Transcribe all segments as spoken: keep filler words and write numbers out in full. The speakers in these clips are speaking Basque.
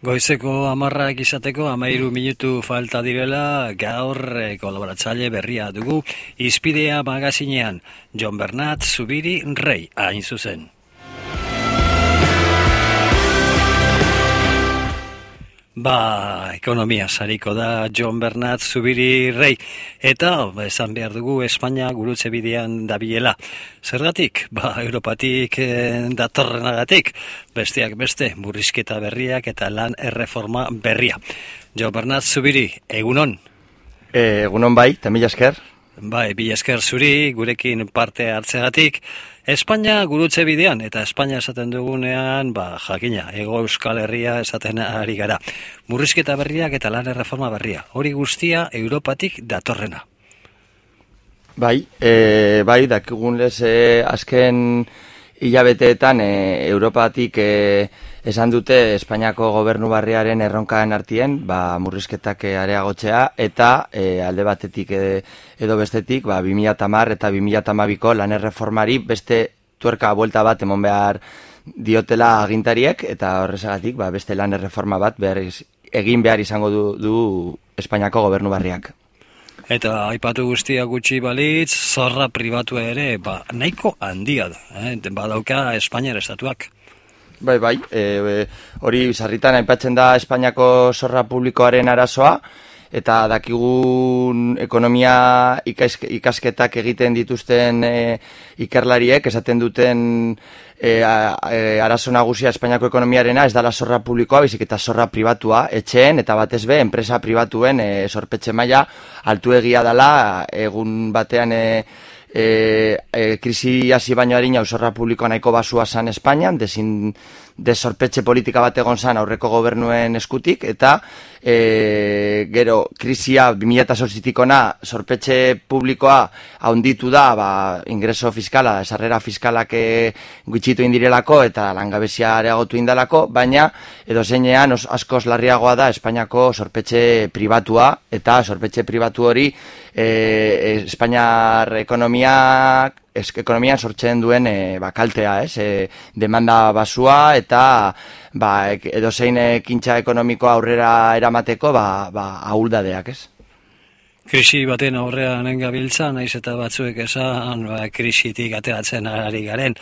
Goizeko hamarrak izateko hamairu minutu falta direla, gaur eh, kolaboratzaile berria dugu, Hizpidea magazinean, Jon Bernat Zubiri Rei, hain zuzen. Ba, ekonomia sariko da Jon Bernat Zubiri Rei, eta esan behar dugu Espainia gurutze bidean dabilela. Zergatik? Ba, Europatik eh, datorrenagatik, besteak beste, murrizketa berriak eta lan erreforma berria. Jon Bernat Zubiri, egunon? E, egunon bai, eta mila esker. Bai, mila esker zuri, gurekin parte hartzegatik. Espainia gurutze bidean, eta Espainia esaten dugunean, ba, jakina, Hego Euskal Herria esaten ari gara. Murrizketa berriak eta lan erreforma berria. Hori guztia Europatik datorrena. Bai, e, bai, dakigun lez, e, azken hilabeteetan e, Europatik e, esan dute Espainiako gobernu barriaren erronkaan artien, ba, murrizketak areagotzea, eta e, alde batetik e, edo bestetik, ba, bi mila hamar eta bi mila hamabiko lan erreformari beste tuerka buelta bat emon behar diotela agintariek, eta horrezagatik ba, beste lan erreforma bat behar, egin behar izango du, du Espainiako gobernu barriak. Eta aipatu guztia gutxi balitz, zorra pribatua ere, ba, nahiko handia da, eh? Badauka Espainiar estatuak. Bai, bai, e, e, hori sarritan aipatzen da Espainiako zorra publikoaren arazoa, eta dakigun ekonomia ikas, ikasketak egiten dituzten e, ikerlariek esaten duten e, a, e, arazo nagusia Espainiako ekonomiarena ez dala zorra publikoa, bizik eta zorra pribatua, etxeen eta batez be, enpresa pribatuen e, zorpetxe maila altuegia dela egun batean e, E, e, krisi hasi baino harina zorra publikoa nahiko basua zan Espainian, desin desorpetxe politika bat egon zan aurreko gobernuen eskutik, eta e, gero krisia bi mila zortzitikona zorpetxe publikoa haunditu da, ba, ingreso fiskala, sarrera fiskalak gutxitu indirelako eta langabezia areagotu indalako, baina edo zeinean askoz larriagoa da Espainiako zorpetxe pribatua, eta zorpetxe pribatu hori e, Espainiar ekonomia ekonomian sortzen duen e, ba, kaltea, ez? E, demanda basua eta ba, edo zein ekintza ekonomikoa aurrera eramateko ba, ba, ahuldadeak, ez? Krisi baten aurrean gabiltza, naiz eta batzuek esan ba, krisitik ateratzen ari garen.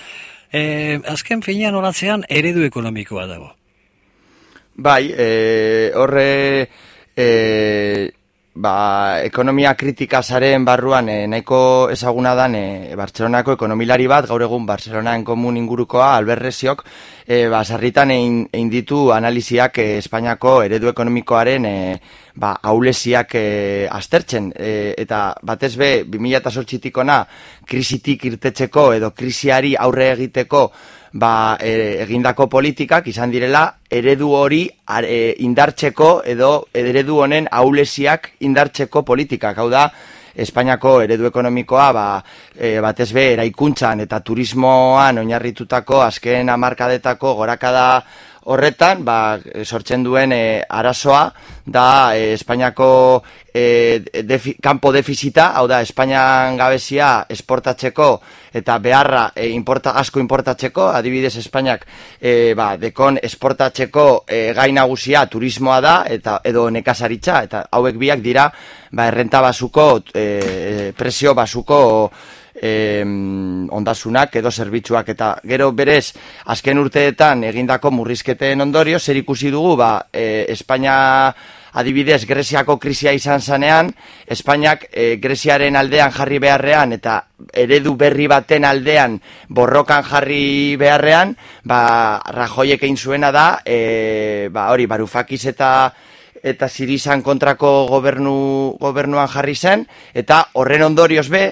E, azken finean horatzean eredu ekonomikoa dago. Bai, e, horre e, ba, ekonomia kritika zaren barruan e, nahiko ezaguna dan e, Bartzelonako ekonomilari bat, gaur egun Bartzelonaen komun ingurukoa, Albert Resiok, e, ba, sarritan egin, egin ditu analiziak e, Espainiako eredu ekonomikoaren e, ba, aulesiak e, aztertzen, e, eta batez be, bi mila zortzitik ona krisitik irtetzeko edo krisiari aurre egiteko ba, e, egindako politikak izan direla eredu hori e, indartzeko edo eredu honen aulesiak indartzeko politikak. Hau da, Espainiako eredu ekonomikoa ba, e, batez be eraikuntzan eta turismoan oinarritutako azken hamarkadetako gorakada horretan ba, sortzen duen e, arazoa da e, Espainiako e, defi, kanpo defizita, hau da Espainian gabezia esportatzeko eta beharra e, importa, asko importatzeko, adibidez Espainiak e, ba, dekon esportatzeko e, gai nagusia turismoa da eta edo nekazaritza, eta hauek biak dira ba, errenta basuko, e, presio basuko E, ondasunak edo zerbitzuak, eta gero berez azken urteetan egindako murrizketen ondorio zer ikusi dugu ba, e, Espainia adibidez Greziako krisia izan zanean, Espainiak e, Greziaren aldean jarri beharrean eta eredu berri baten aldean borrokan jarri beharrean, ba, Rajoyek egin zuena da e, ba, hori Varoufakis eta eta Sirizan kontrako gobernu, gobernuan jarri zen, eta horren ondorioz be,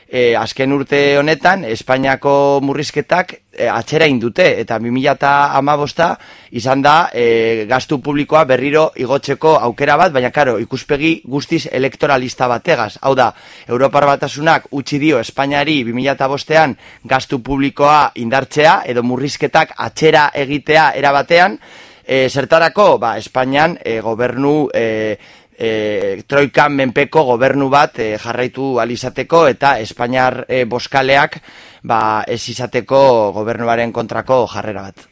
e, azken urte honetan, Espainiako murrizketak e, atzera indute, eta bi mila hamabosta izan da e, gastu publikoa berriro igotzeko aukera bat, baina karo, ikuspegi guztiz elektoralista bategaz. Hau da, Europar Batasunak utzi dio Espainiari bi mila bostean gastu publikoa indartzea, edo murrizketak atzera egitea erabatean, E, zertarako, ba, Espainian e, gobernu, e, e, troikan menpeko gobernu bat e, jarraitu alizateko eta Espainiar e, boskaleak ba, ez izateko gobernuaren kontrako jarrera bat.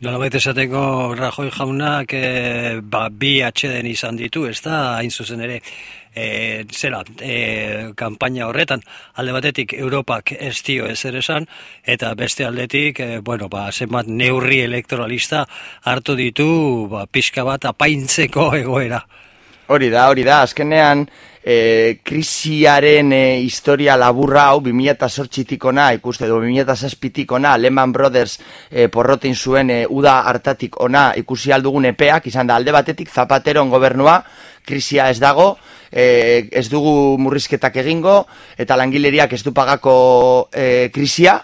Nolabait esateko Rajoy jaunak e, ba, bi atxeden izan ditu, ez da, hain zuzen ere, e, zera, e, kanpaina horretan, alde batetik Europak ez dio ezer esan, eta beste aldetik, e, bueno, ba, zenbat neurri elektoralista hartu ditu, ba, pixka bat apaintzeko egoera. Hori da, hori da, azkenean, E, krisiaren e, historia laburra hau bi mila zortzitik ona ikuste edo bi mila zazpitik ona Lehman Brothers e, porrotin zuen e, uda hartatik ona ikusi aldugun epeak izan da alde batetik Zapateron gobernua krisia ez dago, e, ez dugu murrizketak egingo eta langileriak ez du pagako e, krisia.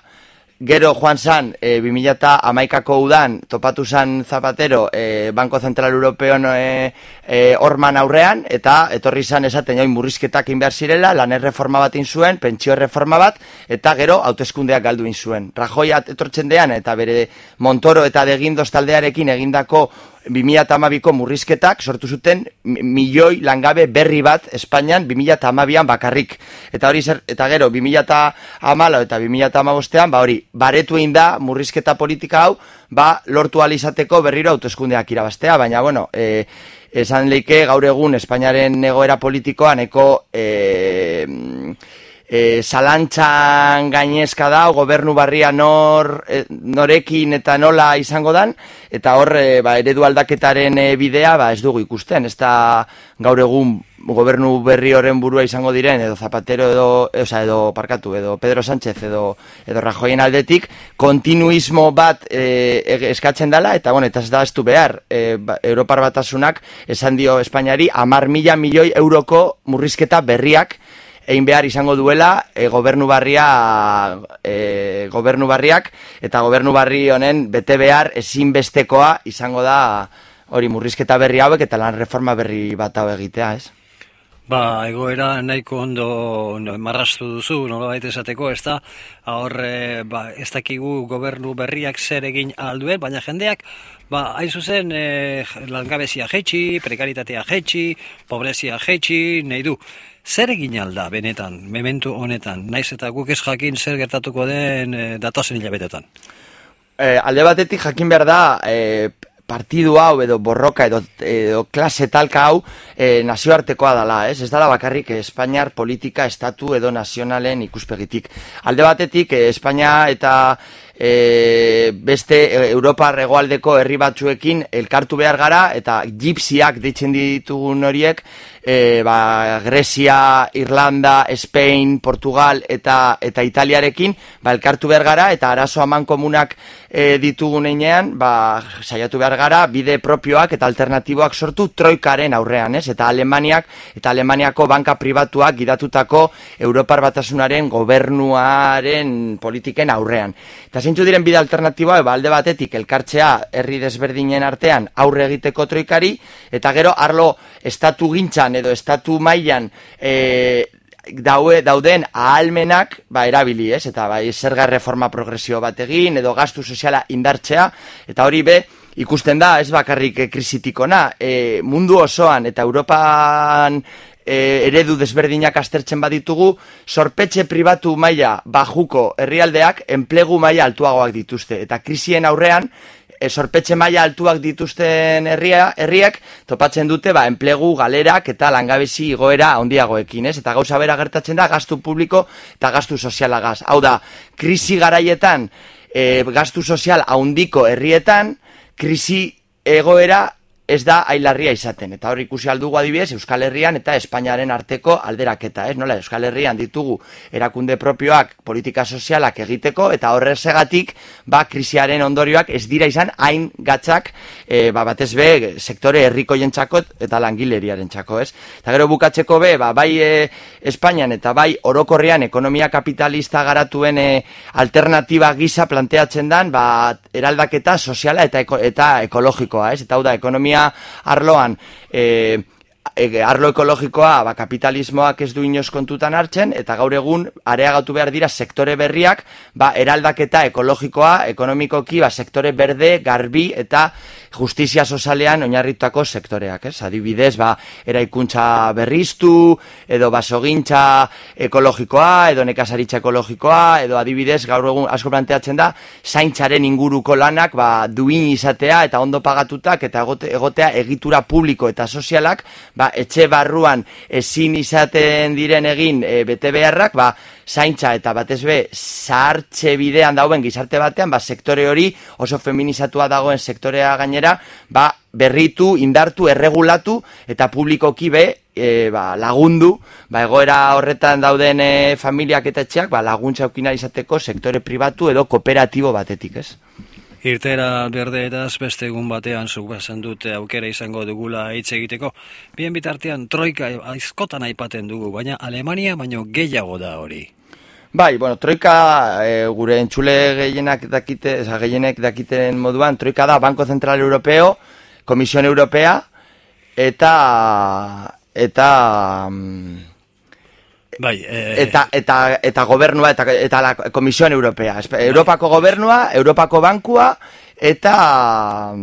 Gero joan zan, e, bi mila hamaikako udan, topatu zan Zapatero e, Banko Zentral Europeon e, e, orman aurrean, eta etorri zan esaten join murrizketak inbehar zirela, lan erreforma bat zuen, pentsio erreforma bat, eta gero hauteskundeak galdu zuen. Rajoy etortzen dean, eta bere Montoro eta De Guindos taldearekin egindako bi mila hamabiko murrizketak sortu zuten milioi langabe berri bat Espainian bi mila hamabian bakarrik. Eta hori zer, eta gero bi mila hamalau eta bi mila hamabostean ba hori baretu egin da murrizketa politika hau, ba lortu ahal izateko berriro hauteskundeak irabaztea, baina bueno, e, esan leike gaur egun Espainiaren egoera politikoan eko e, E, zalantzan gainezka da, gobernu barria nor, e, norekin eta nola izango dan, eta hor e, ba, eredu aldaketaren e, bidea ba, ez dugu ikusten, ez da gaur egun gobernu berri horren burua izango diren, edo Zapatero edo, oza, edo parkatu, edo Pedro Sánchez edo, edo Rajoyen aldetik, kontinuismo bat e, eskatzen dela, eta bueno, eta ez da ez du behar, e, ba, Europar Batasunak esan dio Espainiari hamar mila milioi euroko murrizketa berriak egin behar izango duela e, gobernu barria e, gobernu barriak eta gobernu barri honen bete behar ezinbestekoa izango da hori murrizketa berri hauek eta lan reforma berri bat hau egitea, ez? Ba, egoera nahiko ondo no, marrastu duzu, nolabait esateko, ez da, hor, e, ba, ez dakigu gobernu berriak zer egin alduen, baina jendeak, ba, hain zuzen, e, langabezia jetxi, prekaritatea jetxi, pobrezia jetxi, nahi du. Zer egin alda, benetan, mementu honetan, naiz eta guk ez jakin zer gertatuko den e, datozen hilabetetan? E, alde batetik jakin behar da, e, partidu hau edo borroka edo, edo klase talka hau e, nazioartekoa dela, ez? Ez dela bakarrik Espainiar politika estatu edo nazionalen ikuspegitik. Alde batetik e, Espainia eta e, beste Europar hegoaldeko herri batzuekin elkartu behar gara eta gipsiak deitzen ditugun horiek e, ba, Grecia, Irlanda, Spain, Portugal eta eta Italiarekin ba, elkartu behar gara eta arazo amankomunak e, ditugun einean ba, saiatu behar gara bide propioak eta alternatiboak sortu troikaren aurrean, ez? Eta Alemaniak eta Alemaniako banka pribatuak gidatutako Europar Batasunaren gobernuaren politiken aurrean. Eta zeintzu diren bide alternatiboa, ba, alde batetik elkartzea herri desberdinen artean aurre egiteko troikari, eta gero arlo estatu gintzan edo estatu mailan e, daue, dauden ahalmenak ba, erabili, ez? Eta bai, zerga reforma progresio bat egin, edo gastu soziala indartzea, eta hori be, ikusten da, ez bakarrik krisitikona, e, mundu osoan eta Europan e, eredu desberdinak aztertzen baditugu, zorpetxe pribatu maila bajuko herrialdeak enplegu maila altuagoak dituzte. Eta krisien aurrean, e, zorpetxe maila altuak dituzten herria, herriak topatzen dute ba, enplegu galerak eta langabezi igoera handiagoekin, ez? Eta gauza bera gertatzen da gastu publiko eta gastu sozialagaz. Hau da, krisi garaietan, e, gastu sozial handiko herrietan, krisi egoera ez da ailarria izaten. Eta hor ikusi aldugu adibidez Euskal Herrian eta Espainiaren arteko alderaketa, ez? Nola, Euskal Herrian ditugu erakunde propioak politika sozialak egiteko eta horrezegatik ba, krisiaren ondorioak ez dira izan hain gatzak e, ba, batez be sektore herrikoientzako eta langileriarentzako, ez? Eta gero bukatzeko be, ba, bai e, Espainian eta bai orokorrean ekonomia kapitalista garatuen e, alternatiba gisa planteatzen dan ba, eraldaketa soziala eta, eko, eta ekologikoa, ez? Eta hau da, ekonomia arloan e, e, arlo ekologikoa ba, kapitalismoak ez du inoz kontutan hartzen, eta gaur egun areagatu behar dira sektore berriak, ba, eraldaketa ekologikoa, ekonomikoki, ba, sektore berde, garbi eta justizia sozialean oinarritutako sektoreak, ez? Adibidez, ba, eraikuntza berriztu, edo basogintza ekologikoa, edo nekazaritza ekologikoa, edo adibidez, gaur egun asko planteatzen da, zaintzaren inguruko lanak, ba, duin izatea eta ondo pagatutak, eta egote, egotea egitura publiko eta sozialak, ba, etxe barruan ezin izaten diren egin e, bete beharrak, ba, zaintza eta batez be zahartze bidean dauen gizarte batean, ba, sektore hori oso feminizatua dagoen sektorea gainera, ba, berritu, indartu, erregulatu eta publikoki be e, ba, lagundu, ba, egoera horretan dauden e, familiak eta etxeak, ba, laguntza aukina izateko sektore pribatu edo kooperatibo batetik, ez? Irtera berdeetaz beste egun batean zuk esan dute aukera izango dugula hitz egiteko. Bien bitartean troika aizkotan aipaten dugu, baina Alemania baino gehiago da hori. Bai, bueno, troika e, gure entzule gehienak dakite, eza, gehienek dakiten moduan, troika da Banco Central Europeo, Komisión Europea eta eta Bai, eh... eta, eta, eta gobernua eta, eta la Komisión Europea, Europako gobernua, Europako bankua eta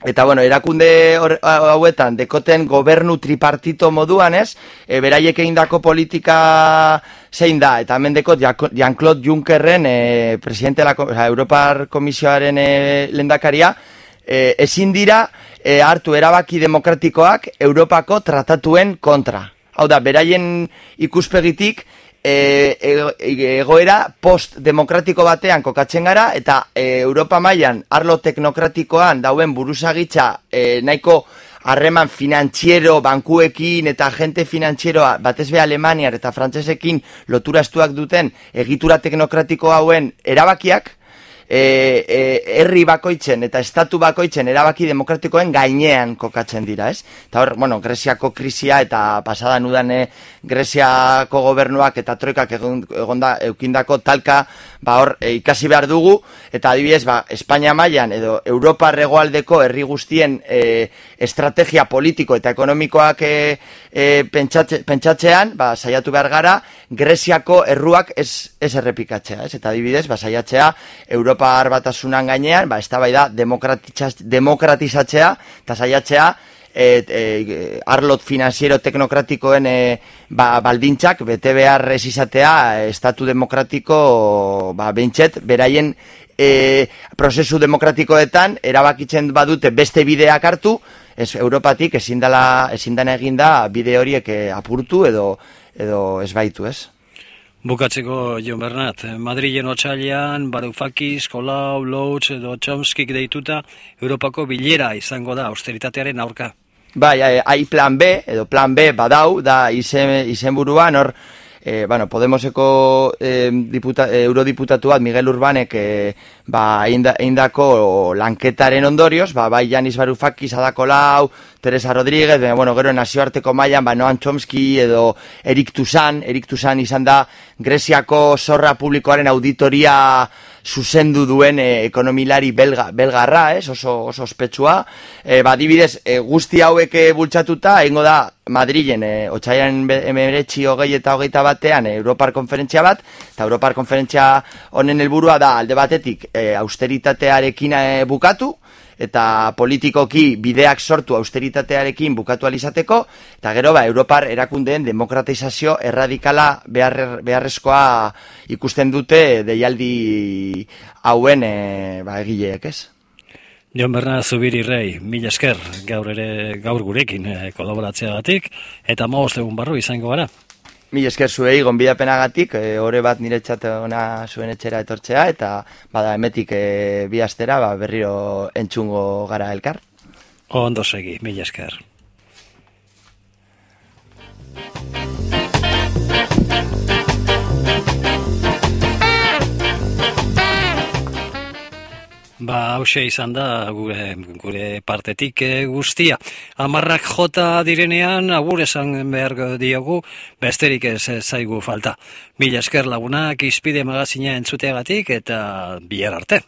eta bueno, erakunde hauetan dekoten gobernu tripartito moduan, ez? E, beraiek egindako politika zein da, eta hemen dekot Jean-Claude Junckerren e, presidente la, o sea, Europar Komisioaren e, lehendakaria, e, ezin dira e, hartu erabaki demokratikoak Europako tratatuen kontra. Hau da, beraien ikuspegitik e, e, egoera post-demokratiko batean kokatzen gara, eta e, Europa mailan arlo teknokratikoan dauen buruzagitza e, nahiko harreman finantziero bankuekin eta agente finantzieroa batez be Alemaniar eta frantsesekin lotura estuak duten egitura teknokratiko hauen erabakiak, E, e, herri bakoitzen eta estatu bakoitzen erabaki demokratikoen gainean kokatzen dira, ez? Eta hor, bueno, Greziako krisia eta pasadan udan e, Greziako gobernuak eta troikak egon, egonda eukindako talka, ba hor, e, ikasi behar dugu, eta adibidez, ba, Espainia mailan edo Europa hegoaldeko herri guztien e, estrategia politiko eta ekonomikoak e, e, pentsatze, pentsatzean, ba, saiatu behar gara, Greziako erruak ez, ez errepikatzea, ez? Eta adibidez, ba, saiatzea Europa Batasunan gainean, ba, eztabaida demokratizatzea eta saiatzea et, e, arlot finanziero teknokratikoen e, ba, baldintzak bete behar ez izatea estatu demokratiko ba, bentset, beraien e, prozesu demokratikoetan erabakitzen badute beste bideak hartu, ez Europatik ezin dela, ezin dena eginda bide horiek e, apurtu edo, edo ez baitu, ez? Bukatzeko, Jon Bernat, Madrilen otsailean, Varoufakis, Colau, Lotz edo Chomskik deituta, Europako bilera izango da austeritatearen aurka. Bai, hai plan B, edo plan B badau, da izen, izenburuan, hor, e, bueno, Podemoseko e, diputa, e, eurodiputatu bat, Miguel Urbanek, e, ba, eindako lanketaren ondorioz, ba, bai Yanis Varoufakis, Ada Colau, Teresa Rodríguez, baina, bueno, gero nazioarteko mailan, ba, Noam Chomsky edo Erik Toussaint, Erik Toussaint izan da Greziako zorra publikoaren auditoria zuzendu duen e, ekonomilari belga, belgarra, ez, oso, oso ospetsua. E, ba, dibidez, e, guzti hauek e, bultzatuta, egingo da Madrilen, e, otsailaren hemeretzi hogei eta hogeita batean, e, Europar konferentzia bat, eta Europar konferentzia honen helburua da alde batetik e, austeritatearekin e, bukatu, eta politikoki bideak sortu austeritatearekin bukatu alizateko, eta gero ba, Europar erakundeen demokratizazio erradikala behar, beharrezkoa ikusten dute deialdi hauen e, ba, egileek, ez? Jon Bernat Zubiri Rei, mila esker gaur ere gaur gurekin e, kolaboratzeagatik, eta hamabost egun barru izango gara. Mil esker zuei gonbidapenagatik, e, ore bat niretzat ona zuen etxera etortzea, eta bada emetik e, bi astera ba, berriro entzungo gara elkar. Ondo segi, mil esker. Ba, hause izan da gure, gure partetik e, guztia. Amarrak jota direnean, agur esan behar diogu, besterik ez zaigu falta. Mila esker lagunak, Izpide magazina entzuteagatik eta bihar arte.